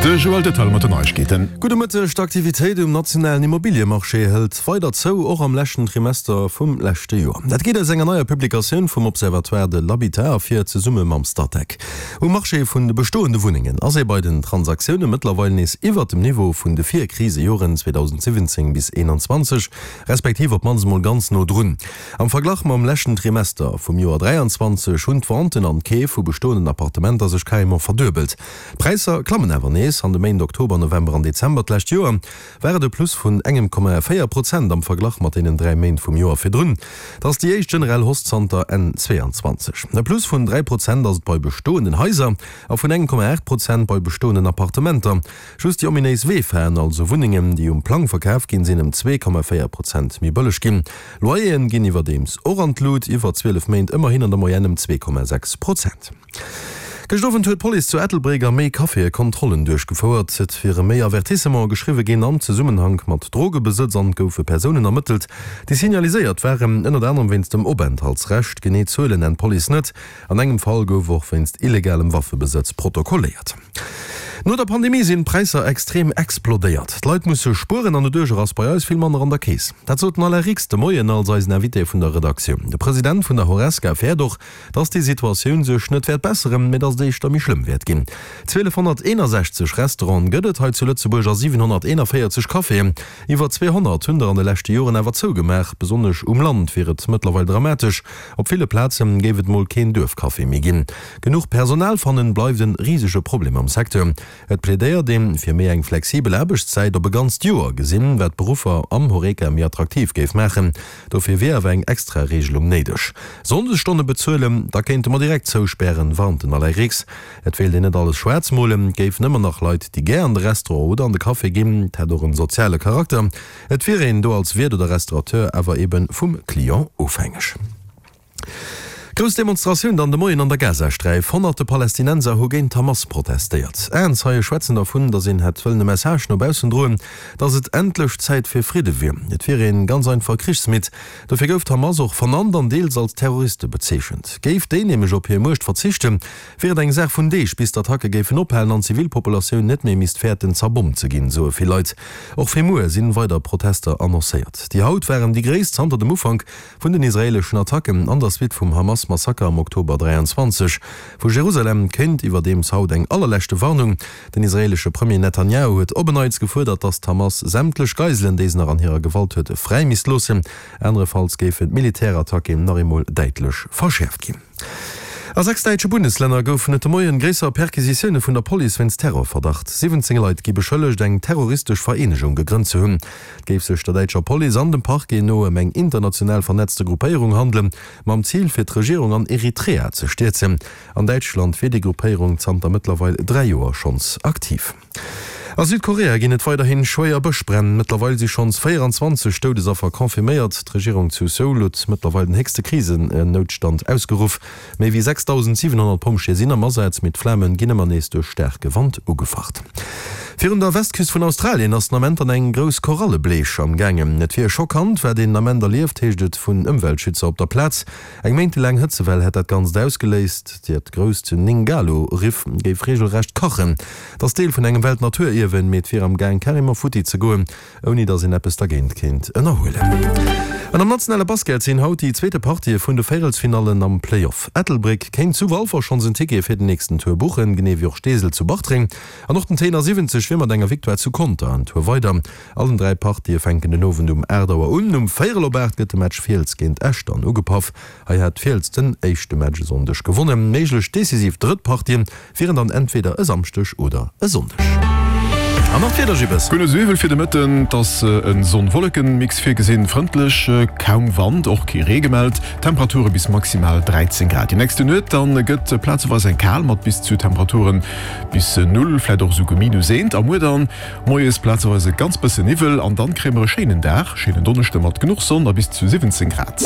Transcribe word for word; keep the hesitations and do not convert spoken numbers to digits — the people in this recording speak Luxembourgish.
De Joël Detail mat den Neiegkeeten. Gudde Mëtteg, D'Aktivitéit um nationalen Immobiliemarché hëlt weider zou, och am leschten Trimester vum leschte Joer. Dat geet aus enger neier Publikatioun vum Observatoire de l'habitat ervir, zesumme mam Statec. Um Marché vun de bestoende Wunnengen ass ee bei den Transaktioune mëttlerweil nees iwwert dem Niveau vun de Virkrisejoren zweedausendsiwwenzéng bis eenanzwanzeg, respektiv op d'mannst emol ganz no drun. Am Verglach mam leschten Trimester vum Joer dräianzwanzeg hunn d'Venten an d'Keef vu bestoenden Appartementer sech carrément verduebelt. D'Präisser klammen awer nees. An de Méint Oktober, November an Dezember d'lescht Joer war et e Plus vun engem Komma véier Prozent am Verglach mat deenen dräi Méint vum Joer virdrun. Dat ass déi éischt generell Hausse zanter Enn zweeanzwanzeg. E Plus vun dräi Prozent ass et bei bestoenden Haiser a vun engem Komma aacht Prozent bei bestoenden Appartementer. Just déi ominéis W-Faen, also Wunnengen, déi um Plang verkaf ginn, sinn ëm zwee Komma véier Prozent méi bëlleg ginn. Loyeren ginn iwwerdeems och an d'Lut, iwwer zwielef Méint ëmmerhin an der Moyenne ëm zwee Komma sechs Prozent. Gëscht Owend huet d'Police zu Ettelbréck a méi Caféë Kontrollen duerchgefouert. Et wiere méi Avertissementen geschriwwe ginn am Zesummenhank mat Drogebesëtz an et goufe Persounen ermëttelt, déi signaliséiert waren, ënnert anerem wéinst dem Openthaltsrecht. Genee Zuelen nennt d'Police net. An engem Fall gouf och wéinst illegalem Waffebesëtz protokolléiert. No der Pandemie sinn d'Präisser extrem explodéiert. D'Leit musse spueren an doduercher ass bei eis vill manner an der Keess. Dat sot den Alain Rix de Moien als eisen Invité vun der Redaktioun. De President vun der Horesca fäert och, dass déi Situatioun sech net wäert besseren, mee dass et éischter méi schlëmm wäert ginn. zwielefhonnerteenasechzeg Restauranten gëtt et hei zu Lëtzebuerg a siwenhonnerteenavéierzeg Caféen. Iwwer zweehonnert hunn der an de leschte Joren awer zougemaach. Besonnesch um Land wier et mëttlerweil dramatesch. Op ville Plaze géif et mol keen Duerfcafé méi ginn. Genuch Personal fannen bleift e risege Problem am Secteur. Et plädéiert ee fir méi eng flexibel Aarbechtszäit op e ganzt Joer gesinn, wat d'Beruffer am Horeca méi attraktiv géif maachen. Dofir wier awer eng extra Reegelung néideg. Sonndesstonne bezuelen, da kéinte mer direkt zouspären, warnt den Alain Rix. Et wéilt een net alles schwaarz molen, et géifen ëmmer nach Leit, déi gär an de Restaurant oder an de Café ginn. Et hätt och en soziale Charakter. Et wier een do als Wiert oder Restaurateur awer ebe vum Client ofhängeg. Grouss Demonstratioun dann de Moien an der Gazasträif. Honnerte Palästinenser hu géint d'Hamas protestéiert. Aenzeie schwätzen dervun, datt een hätt wëllen e Message no baussen droen, datt et endlech Zäit fir Fridde wier. Et wier een ganz einfach krichsmidd. Dofir gouf d'Hamas och vernannt an deels als Terroriste bezeechent. Géif déi nämlech op hir Muecht verzichten, wier et eng Saach vun Deeg, bis d'Attacke géifen ophalen an d'Zivilpopulatioun net méi misst fäerten, zerbommt ze ginn, soe vill Leit. Och fir muer sinn weider Protester annoncéiert. Déi haut waren déi gréisst zanter dem Ufank vun den israeeleschen Attacken an der Suite vum Hamas-Massaker am Oktober dräianzwanzeg. Vu Jerusalem kéint iwwerdeems haut eng allerleschte Warnung. Den israeelesche Premier Netanjahu huet op en Neits gefuerdert, datt d'Hamas sämtlech Geiselen, déi se nach an hirer Gewalt huet, fräi misst loossen. Anerefalls géifen d'Militärattacken nach eemol däitlech verschäerft ginn. A sechs däitsche Bundeslänner goufen et de Moien gréisser Perquisitioune vun der Police wéinst Terrorverdacht. siwwenzéng Leit gi beschëllegt, eng terroristesch Vereenegung gegrënnt ze hunn. Et géif sech der däitscher Police an dem Parquet no ëm eng international vernetzte Gruppéierung handelen, mam Zil fir d'Regierung an Eritrea ze stierzen. An Däitschland wier déi Gruppéierung zanter mëttlerweil dräi Joer schonns aktiv. A Südkorea ginn et weiderhi schwéier Bëschbränn. Mëttlerweil si schonns véieranzwanzeg Doudesaffer confirméiert. D'Regierung zu Seoul huet mëttlerweil den héchste Krisennoutstand ausgeruff. Méi wéi sechsdausendsiwenhonnert Pompjeeë sinn am Asaz, mee d'Flame ginn ëmmer nees duerch staarke Wand ugefacht. Virun der Westküst vun Australien ass den Ament an eng grouss Korallebleech am gaangen. Et wier schockant, wat een den Ament erlieft, heescht et vun Ëmweltschützer op der Plaz. Eng méintelaang Hëtzewell hätt dat Ganzt ausgeléist. Dat grousst Ningaloo-Riff géif reegelrecht kachen. Et ass Deel vun engem Weltnaturierwen, mee et wier am Gaang carrément futti ze goen, ouni datt een eppes dergéint kéint ënnerhuelen. An am nationale Basket sinn haut déi zweete Partië vun de Véierelsfinallen am Play-Off. Ettelbréck kéint zu Walfer schonns en Ticket fir den nächsten Tour buchen, genee wéi och Steesel zu Bartreng. An och den Tenor siwwenzeg wier mat enger Victoire zu Conter en Tour weider. Allen dräi Partië fänken den Owend um aacht Auer un. Um véierel op aacht gëtt de Match Fiels géint Esch dann ugepaff. Hei hat Fiels den éischte Match e Sonndeg gewonnen. Méiglech decisiv drëtt Partien wieren dann entweder e Samschdeg oder e Sonndeg. An nach d'Wieder, Gibbes. Guer net esou iwwel fir de Mëtten. Et ass e Sonn-Wolleken-Mix virgesinn, frëndlech, kaum Wand, och kee Ree gemellt. Temperature bis maximal dräizéng Grad. Déi nächste Nuet dann gëtt plazeweis eng kal mat bis zu Temperaturen bis null, vläit och esouguer minus eent. A muer dann moies plazeweis e ganz bësse Niwwel an dann kréie mer e schéinen Dag, schéinen Donneschde mat genuch Sonn a bis zu siwwenzéng Grad.